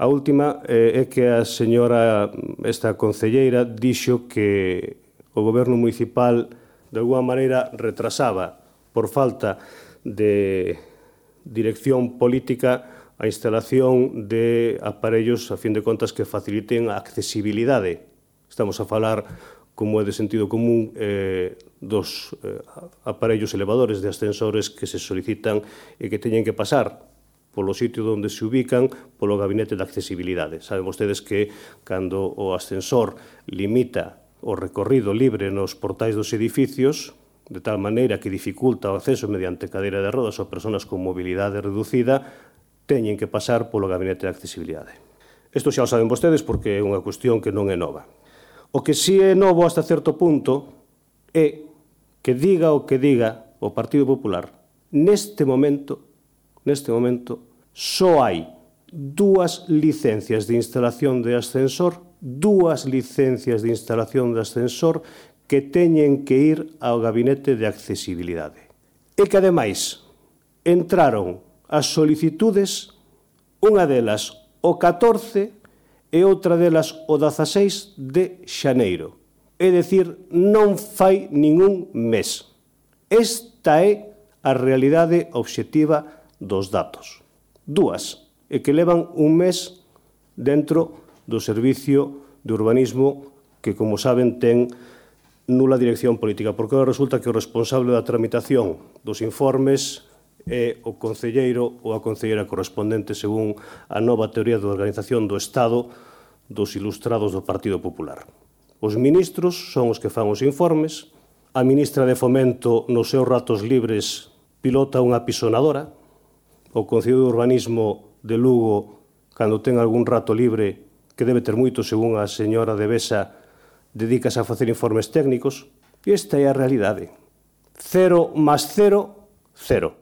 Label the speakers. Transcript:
Speaker 1: A última é que a señora, esta concelleira, dixo que o goberno municipal de alguma maneira retrasaba por falta de dirección política a instalación de aparellos, a fin de contas, que faciliten a accesibilidade. Estamos a falar, como é de sentido común, dos aparellos elevadores de ascensores que se solicitan e que teñen que pasar polo sitio onde se ubican polo gabinete de accesibilidade. Saben vostedes que cando o ascensor limita o recorrido libre nos portais dos edificios, de tal maneira que dificulta o acceso mediante cadeira de rodas a persoas con mobilidade reducida, teñen que pasar polo gabinete de accesibilidade. Isto xa o saben vostedes porque é unha cuestión que non é nova. O que si é novo hasta certo punto é que diga o que diga o Partido Popular, neste momento, só hai 2 licencias de instalación de ascensor, 2 licencias de instalación de ascensor que teñen que ir ao gabinete de accesibilidade. E que, ademais, entraron as solicitudes, unha delas o 14 e outra delas o 16 de xaneiro. É dicir, non fai ningún mes. Esta é a realidade obxectiva dos datos. 2, e que levan un mes dentro do Servicio de Urbanismo que, como saben, ten nula dirección política, porque resulta que o responsable da tramitación dos informes é o concelleiro ou a concelleira correspondente según a nova teoría de organización do Estado dos ilustrados do Partido Popular. Os ministros son os que fan os informes, a ministra de Fomento nos seus ratos libres pilota unha pisonadora, o Concello de Urbanismo de Lugo, cando ten algún rato libre, que debe ter moito según a señora de Besa, dedícase a facer informes técnicos, e esta é a realidade. 0 más 0, 0.